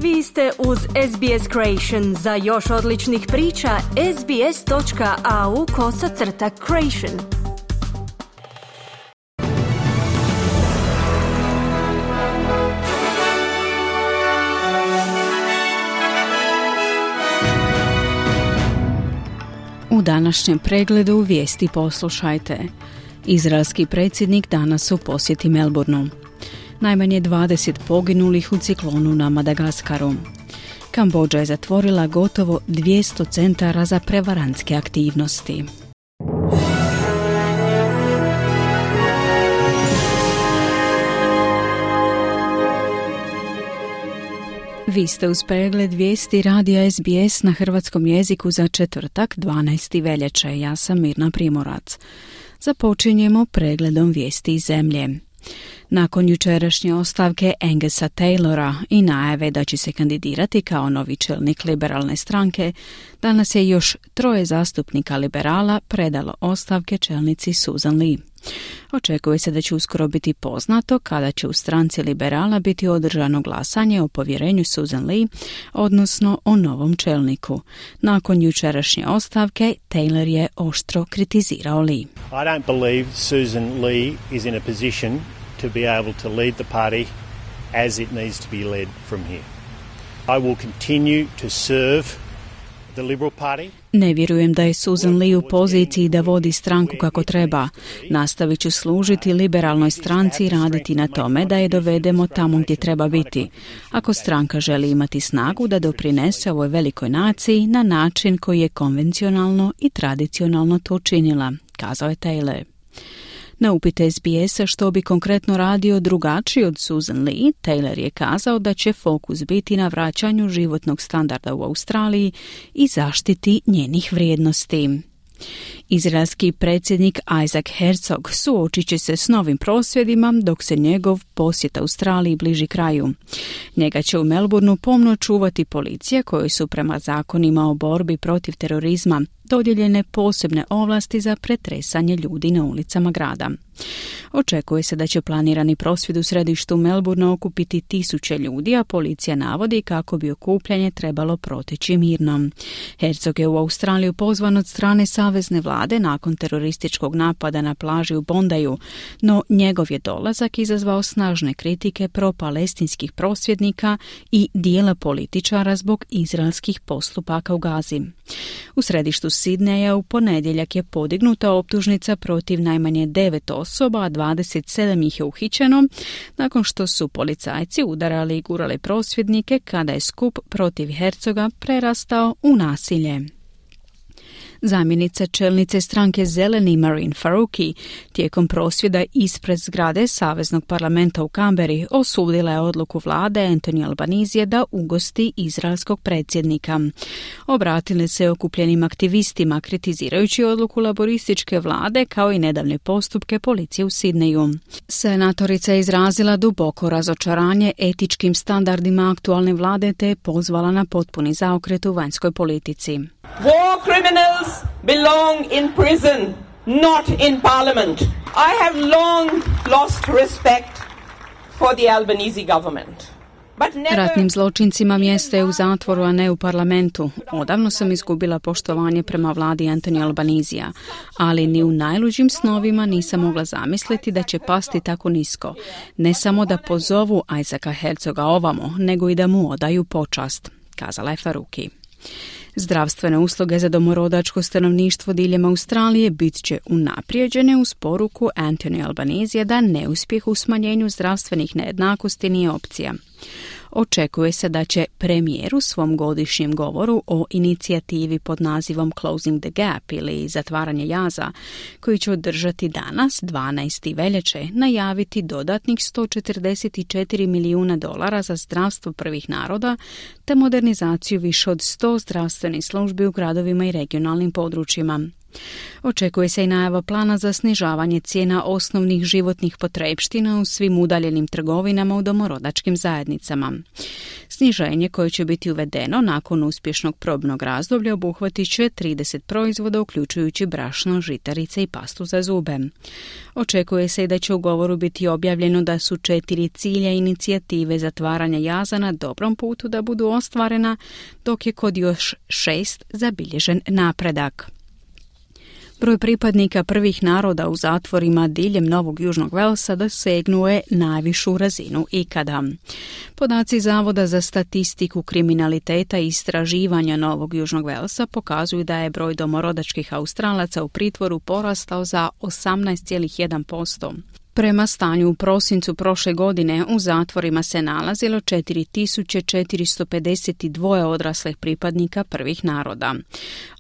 Vi ste uz SBS Creation. Za još odličnih priča, sbs.au/creation. U današnjem pregledu vijesti poslušajte. Izraelski predsjednik danas u posjeti Melbourneu. Najmanje 20 poginulih u ciklonu na Madagaskaru. Kambodža je zatvorila gotovo 200 centara za prevarantske aktivnosti. Vi ste uz pregled vijesti radija SBS na hrvatskom jeziku za četvrtak 12. veljače. Ja sam Mirna Primorac. Započinjemo pregledom vijesti iz zemlje. Nakon jučerašnje ostavke Angusa Taylora i najave da će se kandidirati kao novi čelnik liberalne stranke, danas je još 3 zastupnika liberala predalo ostavke čelnici Susan Lee. Očekuje se da će uskoro biti poznato kada će u stranci liberala biti održano glasanje o povjerenju Susan Lee, odnosno o novom čelniku. Nakon jučerašnje ostavke, Taylor je oštro kritizirao Lee. I don't believe Susan Lee is in a position to be able to lead the party as it needs to be led from here. I will continue to serve the Liberal Party. Ne vjerujem da je Susan Lee u poziciji da vodi stranku kako treba. Nastavit ću služiti liberalnoj stranci i raditi na tome da je dovedemo tamo gdje treba biti. Ako stranka želi imati snagu da doprinese ovoj velikoj naciji na način koji je konvencionalno i tradicionalno to učinila, kazao je Taylor. Na upit SBS-a što bi konkretno radio drugačiji od Susan Lee, Taylor je kazao da će fokus biti na vraćanju životnog standarda u Australiji i zaštiti njenih vrijednosti. Izraelski predsjednik Isaac Herzog suočit će se s novim prosvjedima dok se njegov posjet Australiji bliži kraju. Njega će u Melbourneu pomno čuvati policija kojoj su prema zakonima o borbi protiv terorizma dodijeljene posebne ovlasti za pretresanje ljudi na ulicama grada. Očekuje se da će planirani prosvjed u središtu Melbournea okupiti 1000 ljudi, a policija navodi kako bi okupljanje trebalo proteći mirno. Herzog je u Australiju pozvan od strane savezne vlade nakon terorističkog napada na plaži u Bondaju, no njegov je dolazak izazvao snažne kritike pro-palestinskih prosvjednika i dijela političara zbog izraelskih postupaka u Gazi. U središtu Sidneja u ponedjeljak je podignuta optužnica protiv najmanje 9 osoba, a 27 ih je uhićeno nakon što su policajci udarali i gurali prosvjednike kada je skup protiv Herzoga prerastao u nasilje. Zamjenica čelnice stranke Zeleni Marine Faruqi tijekom prosvjeda ispred zgrade Saveznog parlamenta u Canberri osudila je odluku vlade Anthony Albanese da ugosti izraelskog predsjednika. Obratili se okupljenim aktivistima kritizirajući odluku laborističke vlade kao i nedavne postupke policije u Sidneju. Senatorica je izrazila duboko razočaranje etičkim standardima aktualne vlade te je pozvala na potpuni zaokret u vanjskoj politici. War criminals belong in prison, not in parliament. I have long lost respect for the Albanese government. Ratnim zločincima mjesto je u zatvoru, a ne u parlamentu. Odavno sam izgubila poštovanje prema vladi Anthony Albanesea, ali ni u najluđim snovima nisam mogla zamisliti da će pasti tako nisko. Ne samo da pozovu Isaaca Herzoga ovamo, nego i da mu odaju počast, kazala je Faruqi. Zdravstvene usluge za domorodačko stanovništvo diljem Australije bit će unaprijeđene uz poruku Anthony Albanesea da neuspjeh u smanjenju zdravstvenih nejednakosti nije opcija. Očekuje se da će premijer u svom godišnjem govoru o inicijativi pod nazivom Closing the Gap ili zatvaranje jaza, koji će održati danas, 12. veljače, najaviti dodatnih $144 milijuna za zdravstvo prvih naroda te modernizaciju više od 100 zdravstvenih službi u gradovima i regionalnim područjima. Očekuje se i najava plana za snižavanje cijena osnovnih životnih potrepština u svim udaljenim trgovinama u domorodačkim zajednicama. Sniženje koje će biti uvedeno nakon uspješnog probnog razdoblja obuhvatit će 30 proizvoda uključujući brašno, žitarice i pastu za zube. Očekuje se i da će u govoru biti objavljeno da su 4 cilja inicijative zatvaranja jaza na dobrom putu da budu ostvarena, dok je kod još 6 zabilježen napredak. Broj pripadnika prvih naroda u zatvorima diljem Novog Južnog Velsa dosegnuo je najvišu razinu ikada. Podaci Zavoda za statistiku kriminaliteta i istraživanja Novog Južnog Velsa pokazuju da je broj domorodačkih Australaca u pritvoru porastao za 18,1%. Prema stanju u prosincu prošle godine u zatvorima se nalazilo 4452 odraslih pripadnika prvih naroda.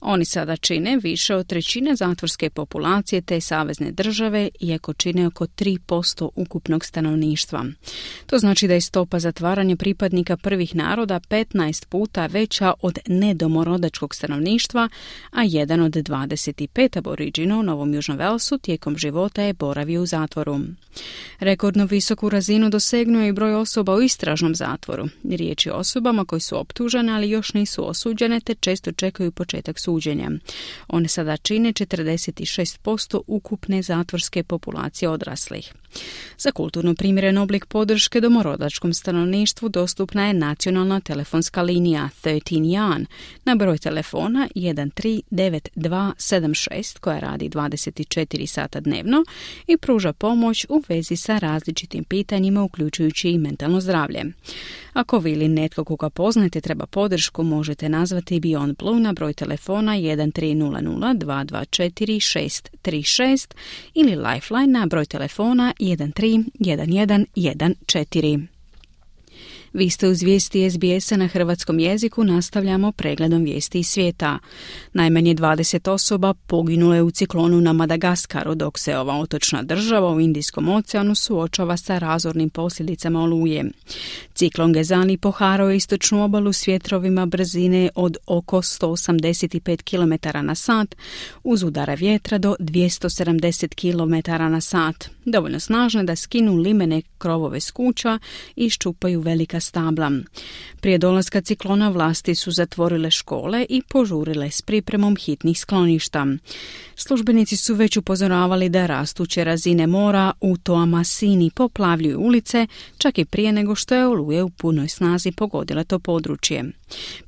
Oni sada čine više od trećine zatvorske populacije te savezne države, iako čine oko 3% ukupnog stanovništva. To znači da je stopa zatvaranja pripadnika prvih naroda 15 puta veća od nedomorodačkog stanovništva, a jedan od 25 aboriđina u Novom Južnom Velsu tijekom života je boravio u zatvoru. Rekordno visoku razinu dosegnuo je i broj osoba u istražnom zatvoru. Riječ je o osobama koji su optužene, ali još nisu osuđene te često čekaju početak suđenja. One sada čine 46% ukupne zatvorske populacije odraslih. Za kulturno primjeren oblik podrške domorodačkom stanovništvu dostupna je nacionalna telefonska linija 13 Jan na broj telefona 139276 koja radi 24 sata dnevno i pruža pomoć u vezi sa različitim pitanjima uključujući i mentalno zdravlje. Ako vi ili netko koga poznate treba podršku, možete nazvati Beyond Blue na broj telefona 1300 224 636 ili Lifeline na broj telefona 131114. Vi ste uz vijesti SBS-a na hrvatskom jeziku, nastavljamo pregledom vijesti iz svijeta. Najmanje 20 osoba poginulo je u ciklonu na Madagaskaru, dok se ova otočna država u Indijskom oceanu suočava sa razornim posljedicama oluje. Ciklon Gezani poharao je istočnu obalu s vjetrovima brzine od oko 185 km na sat, uz udara vjetra do 270 km na sat. Dovoljno snažne da skinu limene krovove s kuća i iščupaju velika stabla. Prije dolaska ciklona vlasti su zatvorile škole i požurile s pripremom hitnih skloništa. Službenici su već upozoravali da rastuće razine mora u Toamasini poplavljuju ulice, čak i prije nego što je oluje u punoj snazi pogodila to područje.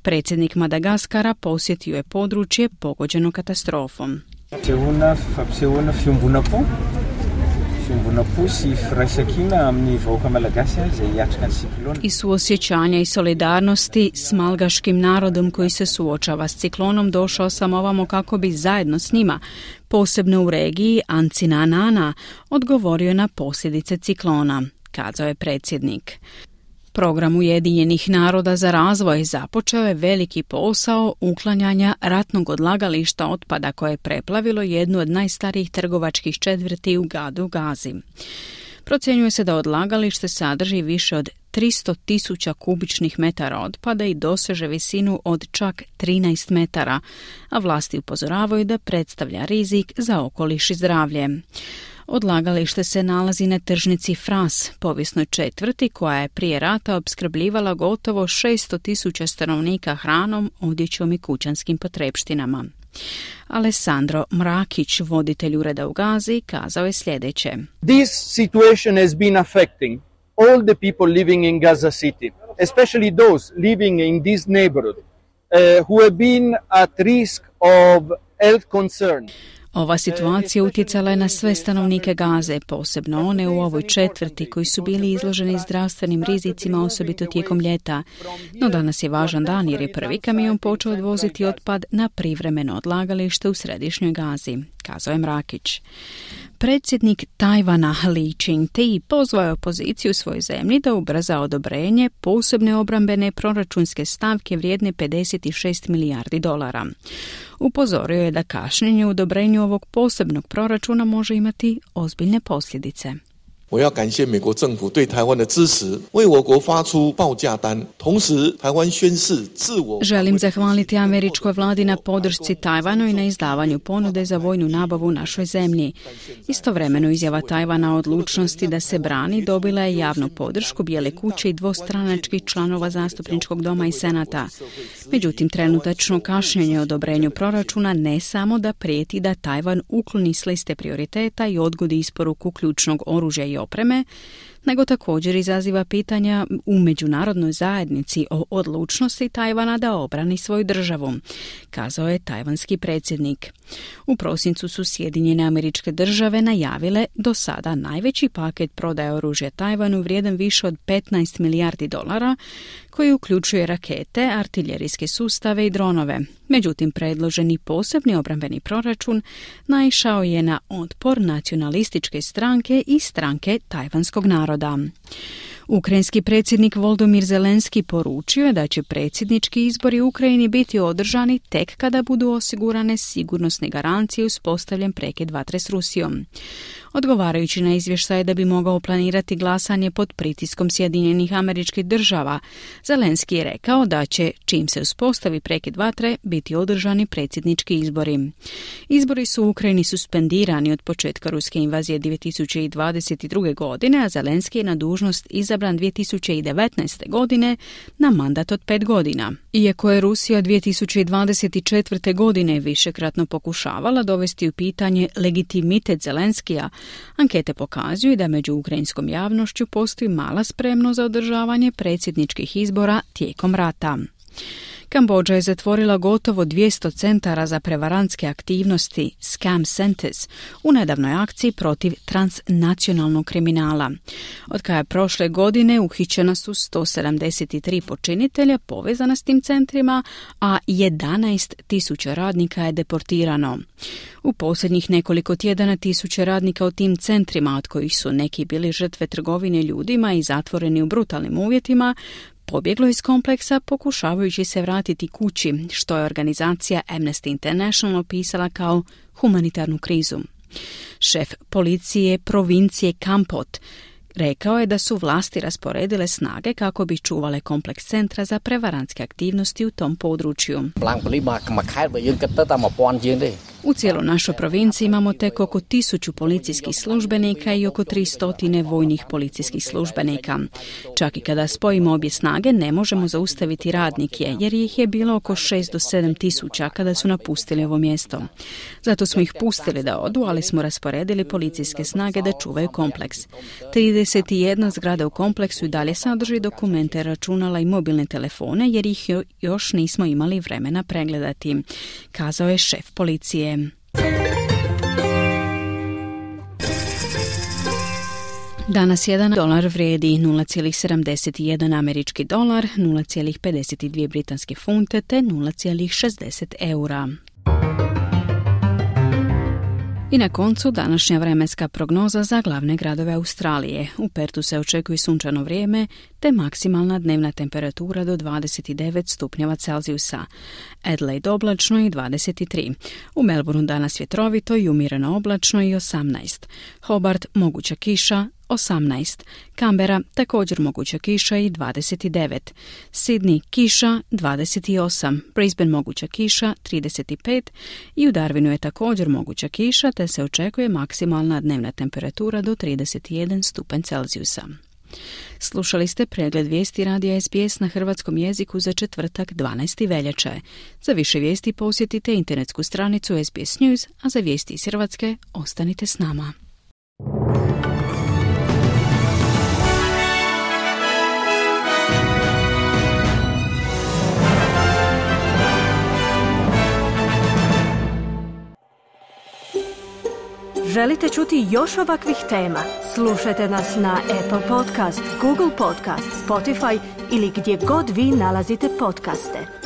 Predsjednik Madagaskara posjetio je područje pogođeno katastrofom. I suosjećanja i solidarnosti s malgaškim narodom koji se suočava s ciklonom došao sam ovamo kako bi zajedno s njima, posebno u regiji Ancinanana, odgovorio na posljedice ciklona, kazao je predsjednik. Program Ujedinjenih naroda za razvoj započeo je veliki posao uklanjanja ratnog odlagališta otpada koje je preplavilo jednu od najstarijih trgovačkih četvrti u gradu Gazi. Procjenjuje se da odlagalište sadrži više od 300.000 kubičnih metara otpada i doseže visinu od čak 13 metara, a vlasti upozoravaju da predstavlja rizik za okoliš i zdravlje. Odlagalište se nalazi na tržnici Fras, povijesnoj četvrti koja je prije rata opskrbljivala gotovo 600.000 stanovnika hranom, odjećom i kućanskim potrepštinama. Alessandro Mrakić, voditelj ureda u Gazi, kazao je sljedeće. This situation has been affecting all the people living in Gaza City, especially those living in this neighborhood who have been at risk of health concern. Ova situacija utjecala je na sve stanovnike Gaze, posebno one u ovoj četvrti koji su bili izloženi zdravstvenim rizicima, osobito tijekom ljeta. No danas je važan dan jer je prvi kamion počeo odvoziti otpad na privremeno odlagalište u središnjoj Gazi, kazao je Mrakić. Predsjednik Tajvana Li Ching-te pozvao je opoziciju u svojoj zemlji da ubrza odobrenje posebne obrambene proračunske stavke vrijedne $56 milijardi. Upozorio je da kašnjenje u odobrenju ovog posebnog proračuna može imati ozbiljne posljedice. 我要感谢美国政府对台湾的支持，为我国发出报价单，同时台湾宣誓自我。Želim zahvaliti američkoj vladi na podršci Tajvanu i na izdavanju ponude za vojnu nabavu našoj zemlji. Istovremeno izjava Tajvana o odlučnosti da se brani dobila je javnu podršku Bijele kuće i dvostranačkih članova zastupničkog doma i senata. Međutim, trenutačno kašnjenje u odobrenju proračuna ne samo da prijeti da Tajvan ukloni s liste prioriteta i odgodi isporuku ključnog oružja i opreme, nego također izaziva pitanja u međunarodnoj zajednici o odlučnosti Tajvana da obrani svoju državu, kazao je tajvanski predsjednik. U prosincu su Sjedinjene Američke Države najavile do sada najveći paket prodaje oružja Tajvanu vrijedan više od $15 milijardi, koji uključuje rakete, artiljerijske sustave i dronove. Međutim, predloženi posebni obrambeni proračun naišao je na otpor nacionalističke stranke i stranke tajvanskog naroda. Ukrajinski predsjednik Volodymyr Zelenski poručio je da će predsjednički izbori u Ukrajini biti održani tek kada budu osigurane sigurnosne garancije uspostavljen prekid vatre s Rusijom. Odgovarajući na izvještaj da bi mogao planirati glasanje pod pritiskom Sjedinjenih Američkih Država, Zelenski je rekao da će, čim se uspostavi prekid vatre, biti održani predsjednički izbori. Izbori su u Ukrajini suspendirani od početka ruske invazije 2022. godine, a Zelenski je na dužnost izabran 2019. godine na mandat od 5 godina. Iako je Rusija 2024. godine višekratno pokušavala dovesti u pitanje legitimitet Zelenskija, ankete pokazuju da među ukrajinskom javnošću postoji mala spremnost za održavanje predsjedničkih izbora tijekom rata. Kambodža je zatvorila gotovo 200 centara za prevarantske aktivnosti, scam centers, u nedavnoj akciji protiv transnacionalnog kriminala. Od kada je prošle godine uhićena su 173 počinitelja povezana s tim centrima, a 11.000 radnika je deportirano. U posljednjih nekoliko tjedana 1000 radnika u tim centrima, od kojih su neki bili žrtve trgovine ljudima i zatvoreni u brutalnim uvjetima, pobjeglo iz kompleksa pokušavajući se vratiti kući, što je organizacija Amnesty International opisala kao humanitarnu krizu. Šef policije provincije Kampot rekao je da su vlasti rasporedile snage kako bi čuvale kompleks centra za prevarantske aktivnosti u tom području. U cijeloj našoj provinciji imamo tek oko 1000 policijskih službenika i oko 300 vojnih policijskih službenika. Čak i kada spojimo obje snage ne možemo zaustaviti radnike, jer ih je bilo oko 6 do 7 tisuća kada su napustili ovo mjesto. Zato smo ih pustili da odu, ali smo rasporedili policijske snage da čuvaju kompleks. 31 zgrada u kompleksu i dalje sadrži dokumente, računala i mobilne telefone, jer ih još nismo imali vremena pregledati, kazao je šef policije. Danas $1 vrijedi 0,71 američki dolar, 0,52 britanske funte te 0,60 eura. I na koncu današnja vremenska prognoza za glavne gradove Australije. U Pertu se očekuje sunčano vrijeme te maksimalna dnevna temperatura do 29 stupnjeva Celzijusa. Adelaide oblačno i 23. U Melbourneu danas vjetrovito i umjereno oblačno i 18. Hobart moguća kiša 18. Canberra također moguća kiša i 29. Sydney kiša 28. Brisbane moguća kiša 35. I u Darwinu je također moguća kiša te se očekuje maksimalna dnevna temperatura do 31 stupanj Celzijusa. Slušali ste pregled vijesti radija SBS na hrvatskom jeziku za četvrtak 12. veljače. Za više vijesti posjetite internetsku stranicu SBS News, a za vijesti iz Hrvatske ostanite s nama. Želite čuti još ovakvih tema? Slušajte nas na Apple Podcast, Google Podcast, Spotify ili gdje god vi nalazite podcaste.